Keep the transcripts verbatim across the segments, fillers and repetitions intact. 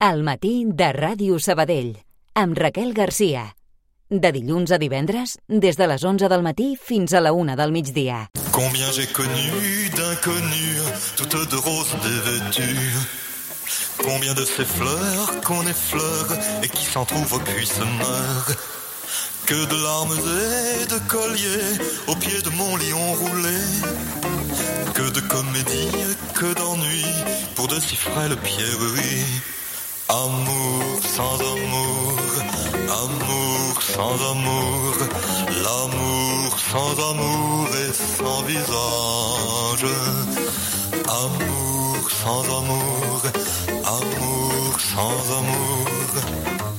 Al matí de Ràdio Sabadell, amb Raquel Garcia. De dilluns a divendres, des de les onze del matí fins a la una del migdia. Combien j'ai connu d'inconnus, toutes de roses dévêtues. Combien de ces fleurs qu'on effleure et qui s'en trouvent puis se meurent. Que de larmes et de colliers au pied de mon lion roulé. Que de comédies, que d'ennuis pour de si frêles pierreries. Amour sans amour, amour sans amour, l'amour sans amour et sans visage. Amour sans amour, amour sans amour.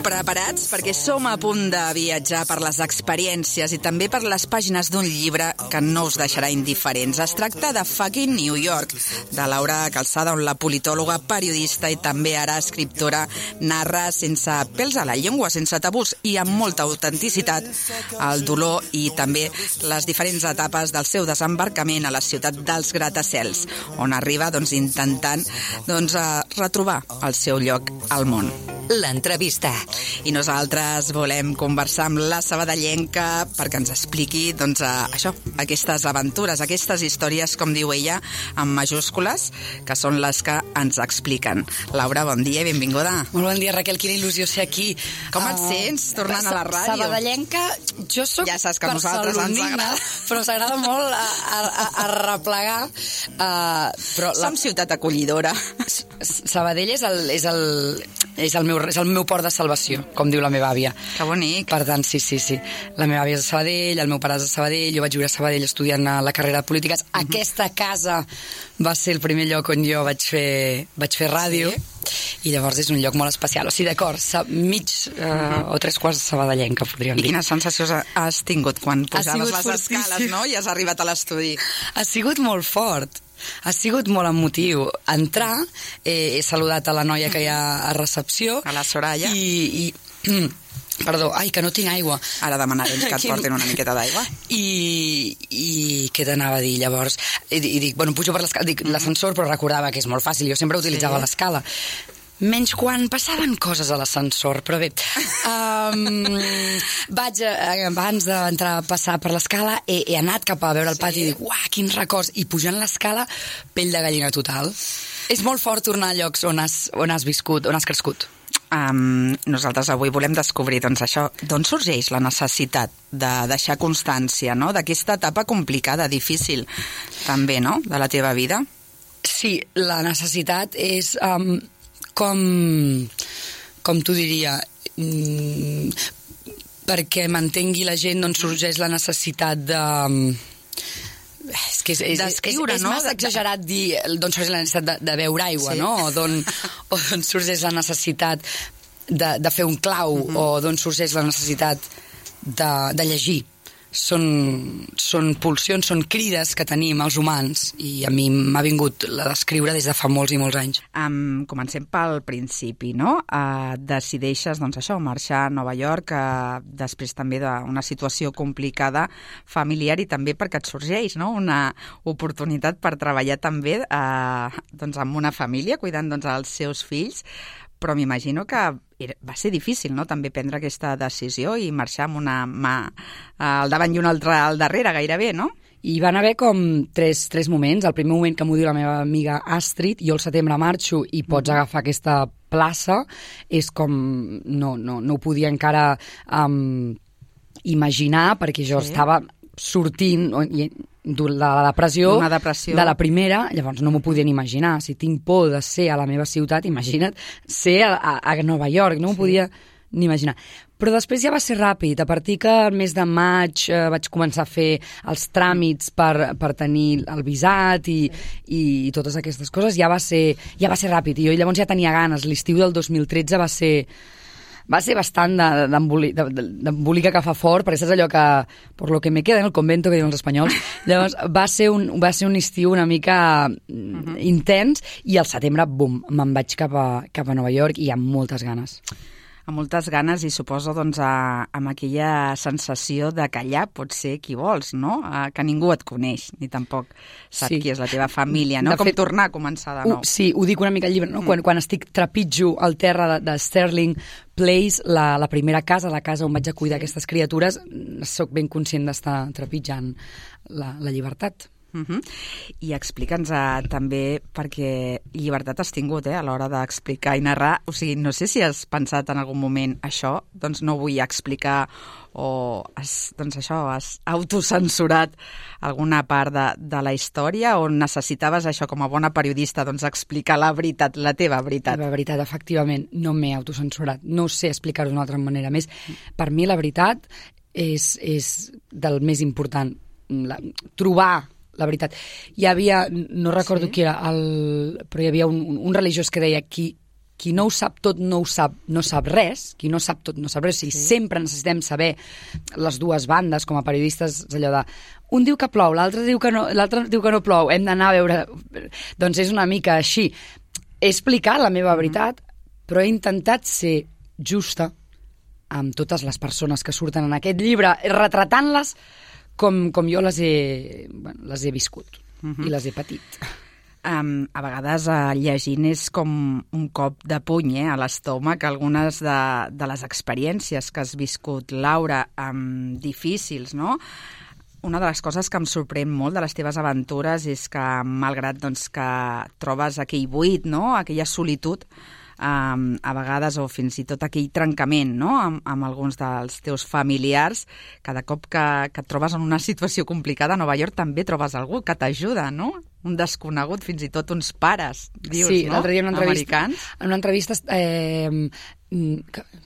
Preparats? Perquè som a punt de viatjar per les experiències i també per les pàgines d'un llibre que no us deixarà indiferents. Es tracta de Fucking New York, de Laura Calzada, on la politòloga, periodista i també ara escriptora narra sense pèls a la llengua, sense tabús i amb molta autenticitat el dolor i també les diferents etapes del seu desembarcament a la ciutat dels gratacels, on arriba doncs, intentant doncs, retrobar el seu lloc al món. L'entrevista. I nosaltres volem conversar amb la sabadellenca perquè ens expliqui doncs, això, aquestes aventures, aquestes històries, com diu ella, amb majúscules, que són les que ens expliquen. Laura, bon dia i benvinguda. Molt bon dia, Raquel, quina il·lusió ser aquí. Com et uh, sents tornant a la ràdio? Sabadellenca, jo soc ja saps que a nosaltres ens agrada. Però s'agrada molt a, a, a replegar. Uh, però Som la... ciutat acollidora. Sabadell és el, és el, és el meu és el meu port de salvació, com diu la meva àvia. Que bonic. Per tant, sí, sí, sí. La meva àvia és de Sabadell, el meu pare és de Sabadell, jo vaig viure a Sabadell estudiant a la carrera de polítiques. Uh-huh. Aquesta casa va ser el primer lloc on jo vaig fer, vaig fer ràdio, sí. I llavors és un lloc molt especial. O sigui, d'acord, mig uh, uh-huh. o tres quarts de sabadellenca, podríem dir. I quines sensacions has tingut quan pujaves les fortíssim. escales, no? I has arribat a l'estudi. Ha sigut molt fort. Ha sigut molt emotiu. Entrar, eh, he saludat a la noia que hi ha a recepció. A la Soraya. I... i perdó, ai, que no tinc aigua. Ara demanarem que et portin una miqueta d'aigua. I, i què t'anava a dir, llavors? I, i dic, bueno, pujo per l'escala, dic l'ascensor, però recordava que és molt fàcil, jo sempre utilitzava sí. l'escala. Menys quan passaven coses a l'ascensor, però bé. Um, vaig, abans d'entrar a passar per l'escala, he, he anat cap a veure el pati sí. i dic, uah, quins records. I pujant l'escala, pell de gallina total. És molt fort tornar a llocs on has, on has viscut, on has crescut. Um, nosaltres avui volem descobrir doncs, això, d'on sorgeix la necessitat de deixar constància, no?, d'aquesta etapa complicada, difícil, també, no?, de la teva vida. Sí, la necessitat és... Um, com, com t'ho diria, mm, perquè m'entengui la gent d'on sorgeix la necessitat de... És que és, és, d'escriure, és, és, és no? massa exagerat dir d'on sorgeix la necessitat de, de beure aigua, sí. no? O d'on, o d'on sorgeix la necessitat de, de fer un clau, uh-huh. o d'on sorgeix la necessitat de, de llegir. Són, són pulsions, són crides que tenim els humans i a mi m'ha vingut la d'escriure des de fa molts i molts anys. Um, comencem pel principi, no? Uh, decideixes, doncs això, marxar a Nova York, uh, després també d'una situació complicada familiar i també perquè et sorgeix, no?, una oportunitat per treballar també uh, doncs amb una família, cuidant doncs els seus fills, però m'imagino que va ser difícil, no?, també prendre aquesta decisió i marxar amb una mà al davant i una altra al darrere, gairebé, no? I van haver com tres, tres moments. El primer moment que m'ho diu la meva amiga Astrid, jo al setembre marxo i pots mm. agafar aquesta plaça, és com... No, no, no ho podia encara um, imaginar, perquè jo sí. estava sortint de la depressió, depressió de la primera, llavors no m'ho podien imaginar. Si tinc por de ser a la meva ciutat, imagina't ser a, a, a Nova York, no m'ho sí. podia ni imaginar. Però després ja va ser ràpid. A partir que el mes de maig eh, vaig començar a fer els tràmits per, per tenir el visat i, i, i totes aquestes coses, ja va ser, ja va ser ràpid. I jo llavors ja tenia ganes. L'estiu del dos mil tretze va ser... va ser bastant d'embolica que fa fort, perquè saps allò que, por lo que me queda en el convento, que diuen els espanyols, llavors va ser un, va ser un estiu una mica uh-huh. intens, i al setembre, bum, me'n vaig cap a, cap a Nova York i amb moltes ganes. amb moltes ganes i suposo doncs, a, amb aquella sensació de que allà pots ser qui vols, no? A, que ningú et coneix, ni tampoc sap sí. qui és la teva família, no? De Com fet, tornar a començar de nou. Uh, sí, ho dic una mica al llibre, no? Mm. Quan, quan estic trepitjo al terra de, de Sterling Place, la, la primera casa, la casa on vaig a cuidar sí. aquestes criatures, sóc ben conscient d'estar trepitjant la, la llibertat. Uh-huh. I explica'ns uh, també, perquè llibertat has tingut eh, a l'hora d'explicar i narrar, o sigui, no sé si has pensat en algun moment això, doncs no vull explicar o has, doncs això, has autocensurat alguna part de, de la història o necessitaves això com a bona periodista, doncs explicar la veritat, la teva veritat? La veritat, efectivament, no m'he autocensurat, no sé explicar-ho d'una altra manera. A més, per mi la veritat és, és del més important, la, trobar la veritat. Hi havia, no recordo sí? qui era, el, però hi havia un, un religiós que deia qui, qui no ho sap tot no ho sap, no sap res, qui no sap tot no sap res, o sigui, sí. sempre necessitem saber les dues bandes com a periodistes, allò de un diu que plou, l'altre diu que no, l'altre diu que no plou, hem d'anar a veure... Doncs és una mica així. He explicat la meva veritat, però he intentat ser justa amb totes les persones que surten en aquest llibre, retratant-les Com, com jo les he, bueno, les he viscut uh-huh. i les he patit. Um, a vegades uh, llegint és com un cop de puny eh, a l'estómac, algunes de, de les experiències que has viscut, Laura, um, difícils, no? Una de les coses que em sorprèn molt de les teves aventures és que, malgrat doncs, que trobes aquell buit, no? Aquella solitud, Um, a vegades, o fins i tot aquell trencament no? amb, amb alguns dels teus familiars, cada cop que, que et trobes en una situació complicada a Nova York també trobes algú que t'ajuda, no? Un desconegut, fins i tot uns pares, dius, sí, no? l'altre dia en una entrevista, americans. En una entrevista eh,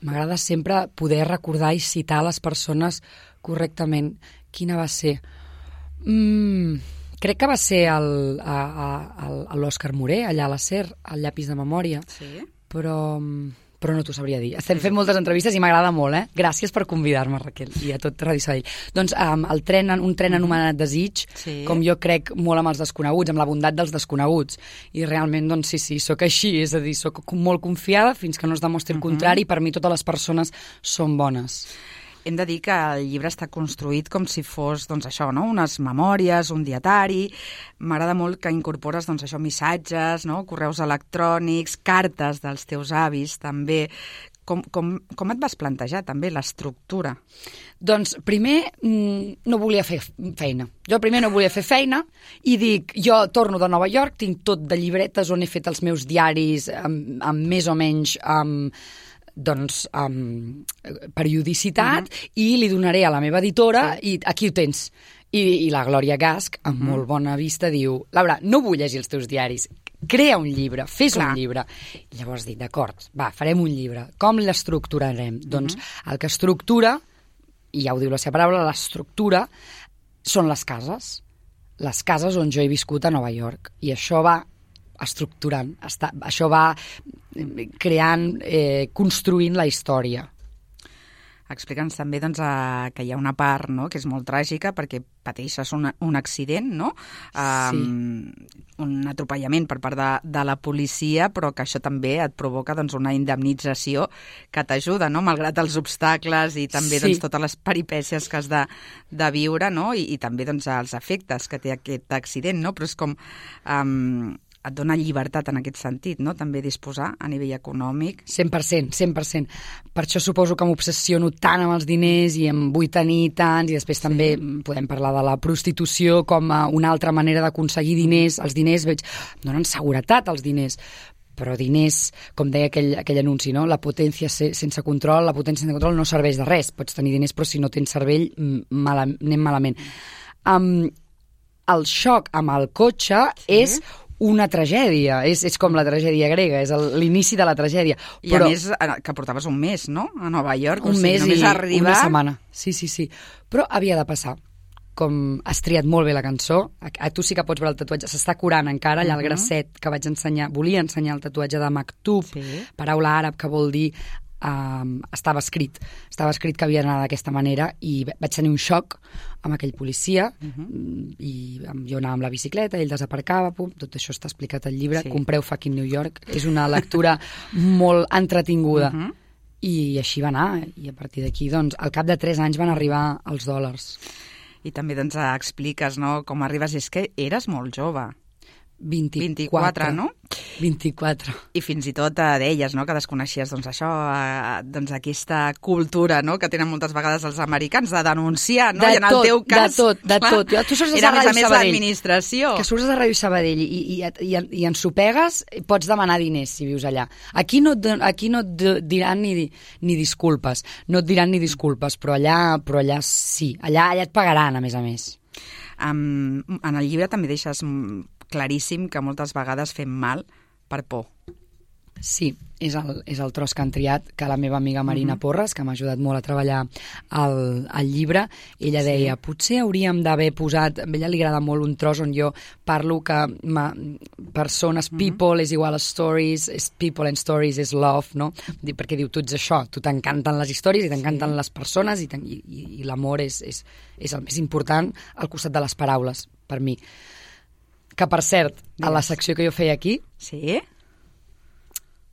m'agrada sempre poder recordar i citar les persones correctament. Quina va ser? Mm, crec que va ser el, a, a, a l'Òscar Moré, allà a la SER, al llapis de memòria. Sí. Però, però no t'ho sabria dir. Estem fent moltes entrevistes i m'agrada molt, eh? Gràcies per convidar-me, Raquel, i a tot Ràdio Sabadell. Doncs um, el tren, un tren anomenat Desig, sí. com jo crec molt amb els desconeguts, amb la bondat dels desconeguts. I realment, doncs sí, sí, sóc així, és a dir, sóc molt confiada fins que no es demostri el uh-huh. contrari, per mi totes les persones són bones. Hem de dir que el llibre està construït com si fos, doncs això, no? Unes memòries, un dietari. M'agrada molt que incorpores, doncs això, missatges, no? Correus electrònics, cartes dels teus avis, també. Com, com, com et vas plantejar, també, l'estructura? Doncs, primer, no volia fer feina. Jo primer no volia fer feina i dic, jo torno de Nova York, tinc tot de llibretes on he fet els meus diaris amb, amb més o menys... Amb, doncs, um, periodicitat uh-huh. i li donaré a la meva editora sí. i aquí ho tens. I, i la Glòria Gasch, amb uh-huh. molt bona vista, diu Laura, no vull llegir els teus diaris, crea un llibre, fes Clar. un llibre. I llavors dic, d'acord, va, farem un llibre. Com l'estructurarem? Uh-huh. Doncs el que estructura, i ja ho diu la seva paraula, l'estructura són les cases. Les cases on jo he viscut a Nova York. I això va estructurant, està, això va creant, eh, construint la història. Explica'ns també doncs, a, que hi ha una part no, que és molt tràgica perquè pateixes un, un accident, no? Um, sí. Un atropellament per part de, de la policia, però que això també et provoca doncs, una indemnització que t'ajuda, no? Malgrat els obstacles i també sí. doncs, totes les peripècies que has de, de viure, no? I, i també doncs, els efectes que té aquest accident, no? Però és com... Um, et dona llibertat en aquest sentit, no? També disposar a nivell econòmic. cent per cent, cent per cent. Per això suposo que m'obsessiono tant amb els diners i em vull tenir tants, i després sí. també podem parlar de la prostitució com a una altra manera d'aconseguir diners. Els diners, veig, donen seguretat als diners, però diners, com deia aquell, aquell anunci, no? La potència sense control, la potència sense control no serveix de res. Pots tenir diners, però si no tens cervell, mal, anem malament. Um, el xoc amb el cotxe sí. és una tragèdia, és, és com la tragèdia grega, és l'inici de la tragèdia. I però, a més, que portaves un mes, no?, a Nova York. Un o sigui, mes i arribar... una setmana. Sí, sí, sí. Però havia de passar. Com has triat molt bé la cançó, a, a tu sí que pots veure el tatuatge, s'està curant encara, allà uh-huh. el grasset que vaig ensenyar, volia ensenyar el tatuatge de Maktub, sí. paraula àrab que vol dir Um, estava escrit estava escrit que havia d'anar d'aquesta manera i vaig tenir un xoc amb aquell policia uh-huh. i jo anava amb la bicicleta, ell desaparcava, pum, tot això està explicat al llibre, sí. compreu Fucking New York, és una lectura molt entretinguda uh-huh. I així va anar, i a partir d'aquí, doncs, al cap de tres anys van arribar els dòlars. I també doncs, expliques, no?, com arribes. És que eres molt jove. vint-i-quatre, vint-i-quatre, no? vint-i-quatre. I fins i tot eh, deies, no?, que desconeixies doncs, això, eh, doncs, aquesta cultura, no?, que tenen moltes vegades els americans de denunciar, no? De I en el tot, teu cas... de tot, de clar, tot. Jo, tu surts era, a a més a Ràdio més, Sabadell. l'administració. Que surts a Ràdio Sabadell i, i, i, i ensopegues, pots demanar diners si vius allà. Aquí no, et, aquí no et diran ni, ni disculpes, no et diran ni disculpes, però allà, però allà sí. Allà, allà et pagaran, a més a més. Um, en el llibre també deixes claríssim que moltes vegades fem mal per por. Sí, és el, és el tros que han triat, que la meva amiga Marina uh-huh. Porres, que m'ha ajudat molt a treballar el, el llibre, ella sí. deia, potser hauríem d'haver posat, a ella li agrada molt un tros on jo parlo que ma, persones, uh-huh. people és igual a stories, és people and stories és love, no? Perquè diu, tu ets això, tu t'encanten les històries i t'encanten sí. les persones i, i, i, i l'amor és, és, és el més important al costat de les paraules, per mi. Que, per cert, a la secció que jo feia aquí, sí?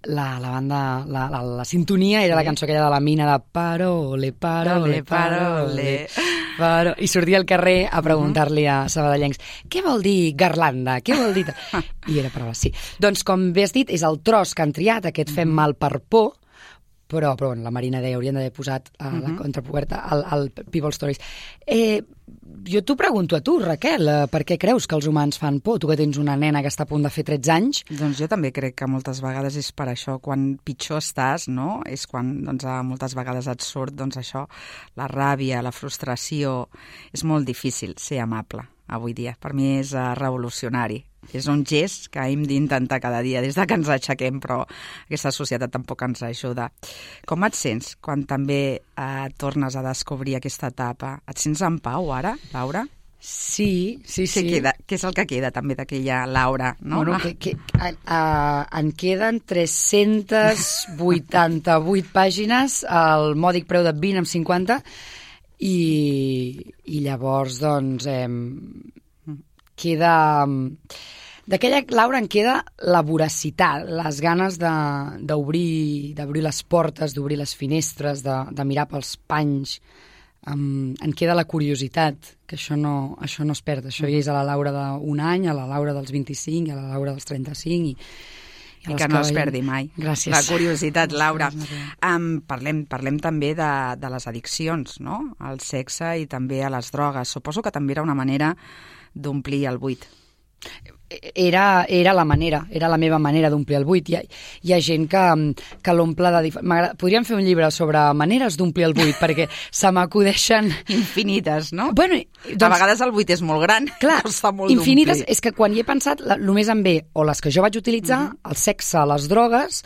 la, la banda, la, la, la sintonia era sí. la cançó aquella de la mina de parole, parole, parole, parole. I sortia al carrer a preguntar-li a sabadellencs què vol dir garlanda, què vol dir... I era paraules, sí. Doncs, com bé has dit, és el tros que han triat, aquest fem mal per por, però, però bueno, la Marina deia, haurien d'haver posat a uh, la contrapuerta al, al People Stories. Eh, jo t'ho pregunto a tu, Raquel, eh, per què creus que els humans fan por? Tu que tens una nena que està a punt de fer tretze anys. Doncs jo també crec que moltes vegades és per això, quan pitjor estàs, no? És quan doncs, moltes vegades et surt doncs, això, la ràbia, la frustració. És molt difícil ser amable avui dia. Per mi és uh, revolucionari. És un gest que hem d'intentar cada dia des de que ens aixequem, però aquesta societat tampoc ens ajuda. Com et sents quan també eh, tornes a descobrir aquesta etapa? Et sents en pau ara, Laura? Sí, sí, sí. Què, queda, què és el que queda també d'aquella Laura? No? Bueno, que, que, a, a, en queden tres-centes vuitanta-vuit pàgines al mòdic preu de vint amb cinquanta i, i llavors, doncs, eh, queda... D'aquella Laura en queda la voracitat, les ganes d'obrir d'obrir les portes, d'obrir les finestres, de, de mirar pels panys. Um, en queda la curiositat, que això no, això no es perd. Això ja és a la Laura d'un any, a la Laura dels vint-i-cinc, a la Laura dels trenta-cinc... I, i, I que no es perdi mai. Gràcies. La curiositat, Laura. Um, parlem, parlem també de, de les addiccions, no? Al sexe i també a les drogues. Suposo que també era una manera d'omplir el buit. Era, era la manera, era la meva manera d'omplir el buit. Hi ha, hi ha gent que, que l'omple de... Dif... Podríem fer un llibre sobre maneres d'omplir el buit, perquè se m'acudeixen... Infinites, no? Bueno, doncs, a vegades el buit és molt gran, clar, costa molt infinites, d'omplir. És que quan hi he pensat, la, només em ve o les que jo vaig utilitzar, uh-huh. el sexe, les drogues...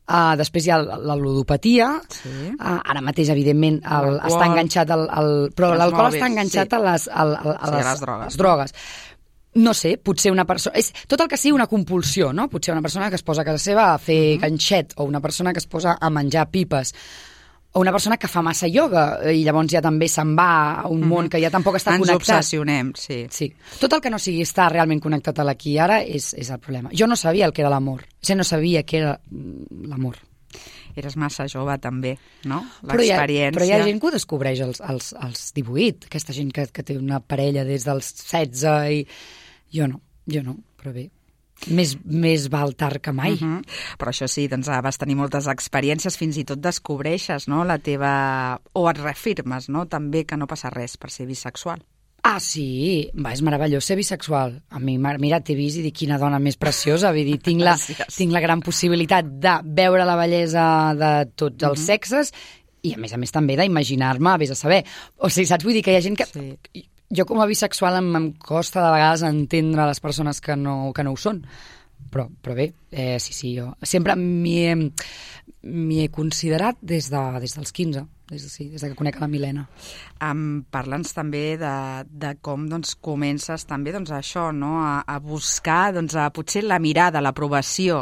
Uh, després hi ha la, la ludopatia, sí. uh, ara mateix, evidentment, el, està enganxat al... al però l'alcohol està enganxat sí. a, les, a, a, a, sí, les, a les drogues. les drogues. No sé, potser una persona... És tot el que sigui una compulsió, no? Potser una persona que es posa a casa seva a fer uh-huh. ganxet, o una persona que es posa a menjar pipes, o una persona que fa massa ioga, i llavors ja també se'n va a un uh-huh. món que ja tampoc està Ens connectat. Ens obsessionem, sí. sí. Tot el que no sigui estar realment connectat a l'aquí i ara és, és el problema. Jo no sabia el que era l'amor. O sigui, no sabia què era l'amor. Eres massa jove, també, no? L'experiència... Però, però hi ha gent que ho descobreix als, als, als divuit, aquesta gent que, que té una parella des dels setze i... Jo no, jo no, però bé. Més, més val tard que mai. Uh-huh. Però això sí, doncs vas tenir moltes experiències, fins i tot descobreixes, no?, la teva... O et reafirmes, no?, també que no passa res per ser bisexual. Ah, sí, va, és meravellós ser bisexual. A mi, mira, t'he vist i dic, quina dona més preciosa. Vull dir, tinc la, tinc la gran possibilitat de veure la bellesa de tots els uh-huh. sexes i, a més a més, també d'imaginar-me, vés a saber. O sigui, saps? Vull dir que hi ha gent que... Sí. Jo, com a bisexual, em, em costa de vegades entendre les persones que no, que no ho són. Però, però bé, eh, sí, sí, jo sempre m'hi he, m'hi he considerat des, de, des dels quinze. Des de, sí, des de que conec a la Milena. Um, Parla'ns també de, de com doncs, comences també doncs, això, no? a, a buscar doncs, a, potser la mirada, l'aprovació,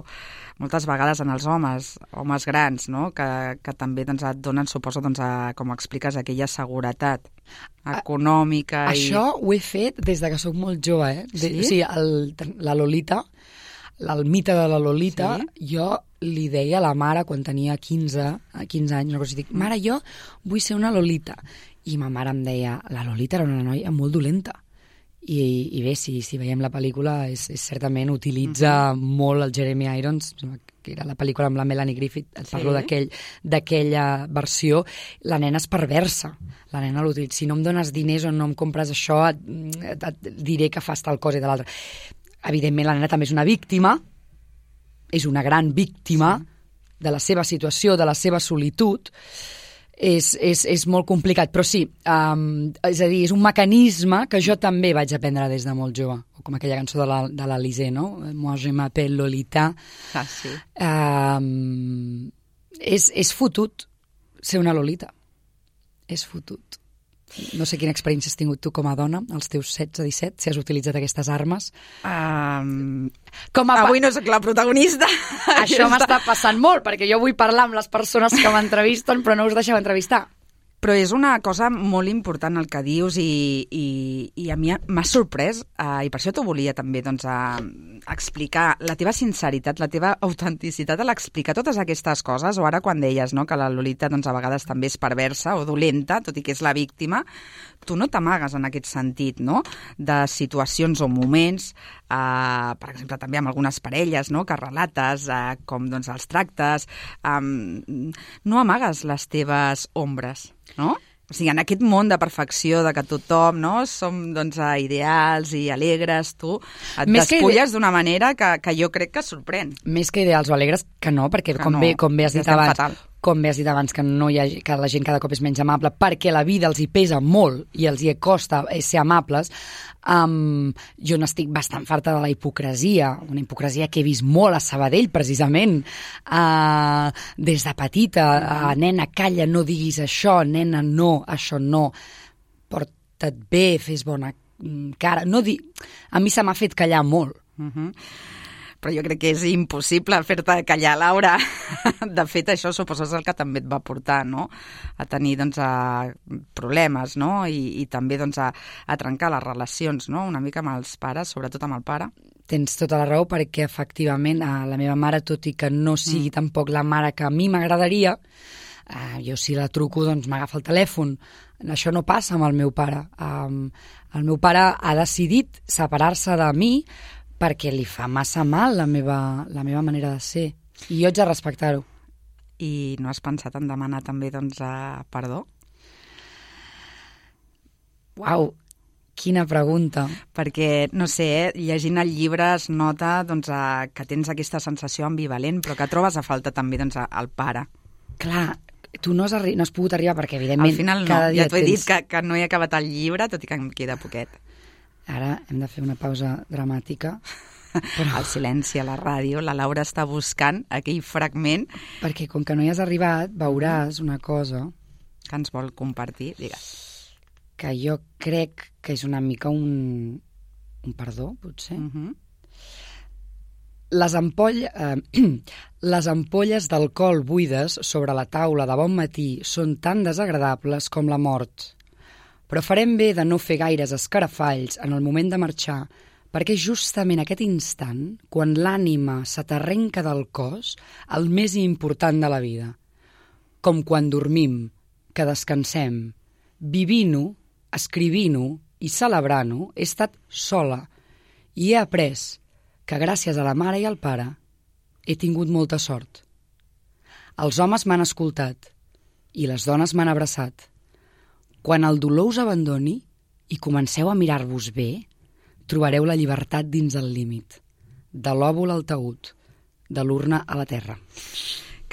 moltes vegades en els homes, homes grans, no? que, que també doncs, et donen, suposo, doncs, a, com expliques, aquella seguretat econòmica. A, i... Això ho he fet des de que sóc molt jove. Eh? De, sí? O sigui, el, la Lolita, el mite de la Lolita, sí? Jo li deia a la mare quan tenia quinze, quinze anys, una cosa, dic, mare, jo vull ser una Lolita. I ma mare em deia, la Lolita era una noia molt dolenta. I, i bé, si, si veiem la pel·lícula, és, és certament utilitza uh-huh. molt el Jeremy Irons, que era la pel·lícula amb la Melanie Griffith, et parlo sí. d'aquell, d'aquella versió, la nena és perversa. La nena l'utilitza. Si no em dones diners o no em compres això, et, et, et diré que fas tal cosa i de l'altra. Evidentment, la nena també és una víctima, és una gran víctima sí. de la seva situació, de la seva solitud. És, és, és molt complicat, però sí, um, és a dir, és un mecanisme que jo també vaig aprendre des de molt jove, o com aquella cançó de la, de l'Alizé, no? Moi je m'appelle Lolita. Ah, sí. Um, és, és fotut ser una Lolita. És fotut. No sé quina experiència has tingut tu com a dona, als teus setze, disset, si has utilitzat aquestes armes. Um, com a avui no soc la protagonista. Això m'està passant molt, perquè jo vull parlar amb les persones que m'entrevisten, però no us deixeu entrevistar. Però és una cosa molt important el que dius i, i, i a mi m'ha sorprès eh, i per això t'ho volia també doncs, eh, explicar la teva sinceritat, la teva autenticitat a l'explicar totes aquestes coses, o ara quan deies no, que la Lolita doncs, a vegades també és perversa o dolenta, tot i que és la víctima, tu no t'amagues en aquest sentit, no? De situacions o moments, eh, per exemple també amb algunes parelles no? que relates eh, com doncs, els tractes, eh, no amagues les teves ombres, no? O sigui, en aquest món de perfecció, de que tothom no, som doncs, ideals i alegres, tu et Més despulles que... d'una manera que, que jo crec que sorprèn. Més que ideals o alegres, que no, perquè que com, no, bé, com bé has dit abans... Fatal. com bé has dit abans, que, no hi ha, que la gent cada cop és menys amable, perquè la vida els hi pesa molt i els hi costa ser amables, um, jo n'estic bastant farta de la hipocresia, una hipocresia que he vist molt a Sabadell, precisament, uh, des de petita, uh, nena, calla, no diguis això, nena, no, això no, porta't bé, fes bona cara, no di... a mi se m'ha fet callar molt. Uh-huh. Però jo crec que és impossible fer-te callar, Laura. De fet, això suposo és el que també et va portar, no?, a tenir, doncs, a problemes, no?, i, i també, doncs, a, a trencar les relacions, no?, una mica amb els pares, sobretot amb el pare. Tens tota la raó, perquè, efectivament, la meva mare, tot i que no sigui mm. tampoc la mare que a mi m'agradaria, eh, jo si la truco, doncs, m'agafa el telèfon. Això no passa amb el meu pare. Um, el meu pare ha decidit separar-se de mi perquè li fa massa mal la meva, la meva manera de ser. I jo haig de respectar-ho. I no has pensat en demanar també, doncs, a perdó? Uau, quina pregunta. Perquè, no sé, eh, llegint el llibre es nota doncs, a, que tens aquesta sensació ambivalent, però que trobes a falta també doncs, al pare. Clar, tu no has, arri- no has pogut arribar perquè, evidentment, al final no, cada dia ja t'ho he tens... dit que, que no he acabat el llibre, tot i que em queda poquet. Ara hem de fer una pausa dramàtica. Però... El silenci a la ràdio, la Laura està buscant aquell fragment. Perquè com que no hi has arribat, veuràs una cosa... Que ens vol compartir, digues. Que jo crec que és una mica un, un perdó, potser. Uh-huh. Les, ampoll... eh, les ampolles d'alcohol buides sobre la taula de bon matí són tan desagradables com la mort. Però farem bé de no fer gaires escarafalls en el moment de marxar, perquè justament aquest instant, quan l'ànima se t'arrenca del cos, el més important de la vida. Com quan dormim, que descansem, vivint-ho, escrivint-ho i celebrant-ho, he estat sola i he après que gràcies a la mare i al pare he tingut molta sort. Els homes m'han escoltat i les dones m'han abraçat. Quan el dolor us abandoni i comenceu a mirar-vos bé, trobareu la llibertat dins el límit, de l'òvul al taüt, de l'urna a la terra.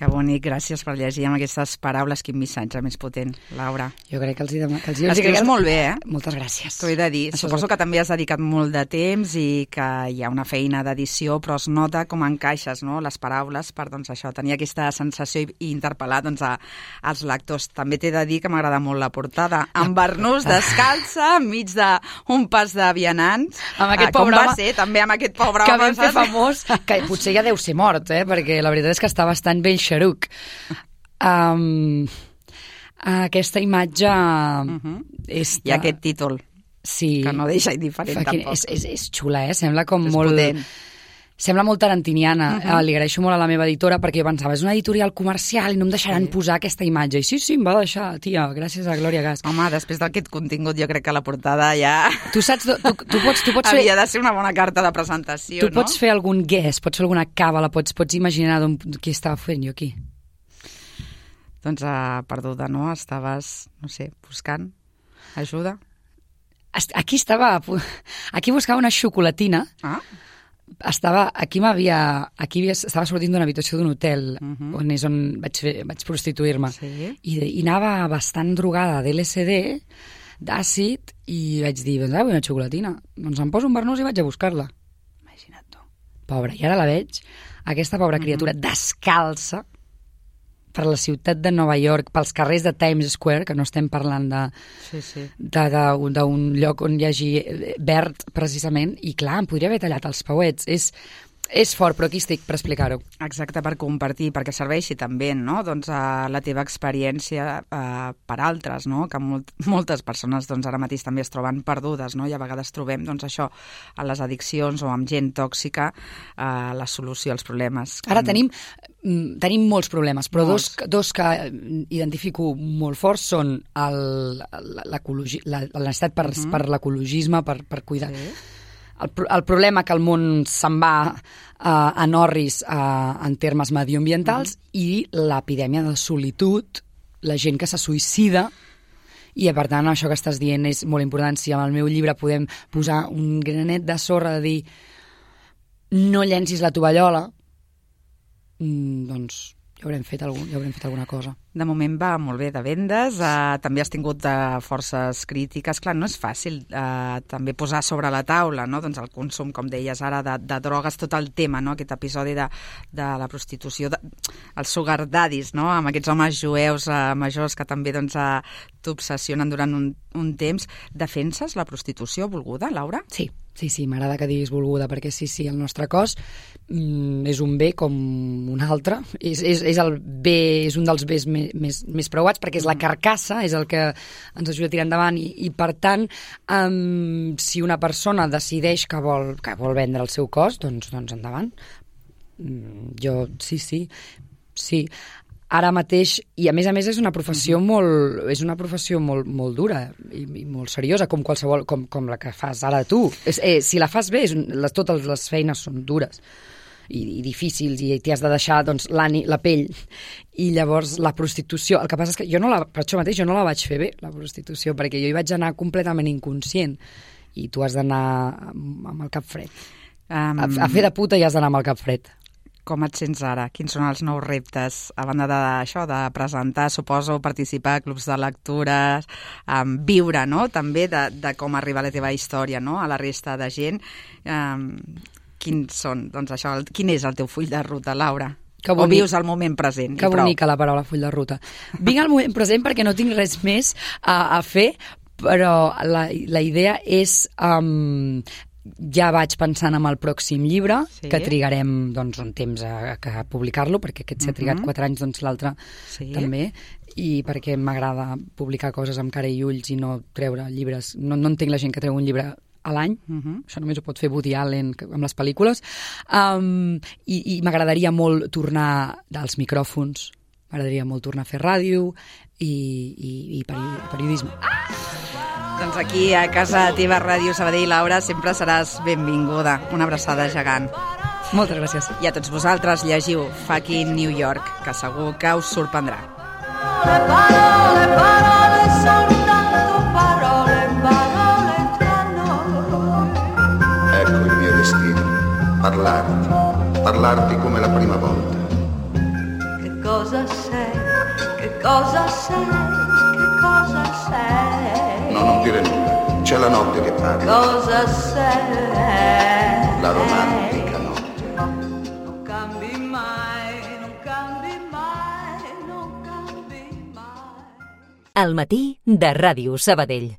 Que bonic, gràcies per llegir amb aquestes paraules. Quin missatge més potent, Laura. Jo crec que els hi, dem- que els hi Escrius molt bé, eh? Moltes gràcies. T'ho he de dir. Això Suposo és... que també has dedicat molt de temps i que hi ha una feina d'edició, però es nota com encaixes, no?, les paraules per, doncs, això, tenir aquesta sensació i, i interpel·lar, doncs, a, als lectors. També t'he de dir que m'agrada molt la portada. Amb barnús descalça, enmig d'un pas de vianants. Amb aquest ah, com pobre va home ser, també amb aquest pobre que home. vam fer famós, que potser ja deu ser mort, eh? Perquè la veritat és que està bastant ben xeruc. Um, aquesta imatge uh-huh. és... I aquest títol, sí, que no deixa indiferent Fucking, tampoc. És, és, és xula, eh? Sembla com és molt... potent. Sembla molt tarantiniana, Uh-huh. uh, li agraeixo molt a la meva editora perquè jo pensava, és una editorial comercial i no em deixaran Sí. posar aquesta imatge. I sí, sí, em va deixar, tia, gràcies a Glòria Gas. Home, després d'aquest contingut jo crec que la portada ja Tu saps, tu, tu pots, tu pots fer... havia de ser una bona carta de presentació, Tu no? pots fer algun guess, pots fer alguna càbala, pots, pots imaginar d'on, qui estava fent jo aquí. Doncs uh, perduda, no? Estaves, no sé, buscant ajuda. Est- Aquí estava, aquí buscava una xocolatina, Ah, estava, aquí m'havia, aquí havia, estava sortint d'una habitació d'un hotel, Mhm. on és on vaig, fer, vaig prostituir-me, sí. I, de- i anava bastant drogada d'L S D, d'àcid, i vaig dir, doncs, ah, vull una xocolatina. Doncs em poso un barnús i vaig a buscar-la. Imagina't tu. Pobra, i ara la veig, aquesta pobra Mhm. criatura descalça per la ciutat de Nova York, pels carrers de Times Square, que no estem parlant de Sí, sí. de- de- d'un lloc on hi hagi eh, verd, precisament, i clar, em podria haver tallat els pauets. És, és fort, però aquí estic per explicar-ho. Exacte, per compartir, perquè serveixi també, no?, doncs, a la teva experiència eh, per altres, no?, que molt, moltes persones doncs, ara mateix també es troben perdudes, no?, i a vegades trobem doncs, això a les addiccions o amb gent tòxica eh, la solució als problemes. Ara tenim, mm, tenim molts problemes, però dos, Molts. dos que eh, identifico molt forts són el- l'ecologi- la, la necessitat per, Mhm. per l'ecologisme, per, per cuidar. Sí. El, pro- el problema que el món se'n va uh, en orris uh, en termes medioambientals Mhm. i l'epidèmia de solitud, la gent que se suïcida, i per tant això que estàs dient és molt important. Si amb el meu llibre podem posar un granet de sorra de dir no llencis la tovallola, mm, doncs ja haurem fet, algun, ja haurem fet alguna cosa. De moment va molt bé de vendes, eh, també has tingut eh, forces crítiques. Clar, no és fàcil eh, també posar sobre la taula, no?, doncs el consum, com deies ara, de, de drogues, tot el tema, no?, aquest episodi de, de la prostitució, de, els sugar daddies, no?, amb aquests homes jueus eh, majors que també doncs, eh, t'obsessionen durant un, un temps. Defenses la prostitució volguda, Laura? Sí, sí, sí, m'agrada que diguis volguda, perquè sí, sí, el nostre cos mm, és un bé com un altre, és, és, és el bé, és un dels bés més, més, més preuats, perquè és la carcassa, és el que ens ajuda a tirar endavant, i, i per tant, um, si una persona decideix que vol, que vol vendre el seu cos, doncs, doncs endavant. Mm, jo, sí, sí, sí. Ara mateix, i a més a més és una professió molt, és una professió molt, molt dura i, i molt seriosa, com qualsevol, com, com la que fas ara tu. És, eh, si la fas bé, és, un- les, totes les feines són dures i, i difícils, i t'hi has de deixar doncs, l'ani, la pell. I llavors la prostitució, el que passa és que jo no la, per això mateix jo no la vaig fer bé, la prostitució, perquè jo hi vaig anar completament inconscient, i tu has d'anar amb, amb el cap fred. Um, A, a fer de puta i has d'anar amb el cap fred. Com et sents ara? Quins són els nous reptes? A banda d'això, de presentar, suposo, participar a clubs de lectures, um, viure, no?, també de, de com arriba la teva història, no?, a la resta de gent. Um, quins són, doncs això, el, quin és el teu full de ruta, Laura? Que o bonic. vius el moment present? Que i prou? bonica la paraula full de ruta. Vinc al moment present perquè no tinc res més a, a fer, però la, la idea és... Um, ja vaig pensant en el pròxim llibre, Sí. que trigarem doncs, un temps a, a publicar-lo, perquè aquest s'ha trigat Mhm. quatre anys, doncs l'altre Sí. també, i perquè m'agrada publicar coses amb cara i ulls i no treure llibres. No, no entenc la gent que treu un llibre a l'any, Mhm. això només ho pot fer Woody Allen que- amb les pel·lícules, um, i, i m'agradaria molt tornar als micròfons, m'agradaria molt tornar a fer ràdio i, i, i peri- periodisme. Doncs aquí, a casa teva, Ràdio Sabadell, Laura, sempre seràs benvinguda. Una abraçada gegant. Moltes gràcies. I a tots vosaltres llegiu Fucking New York, que segur que us sorprendrà. Le parole, parole, soltanto parole, parole tra noi. Ecco il mio destino, parlarti, parlarti come la prima volta. Che cosa sei, che cosa sei, che cosa sei? No, non dire nulla, c'è la notte che parla, Cosa sei? la romantica notte. Non cambi mai, non cambi mai, non cambi mai. Al matí de Ràdio Sabadell.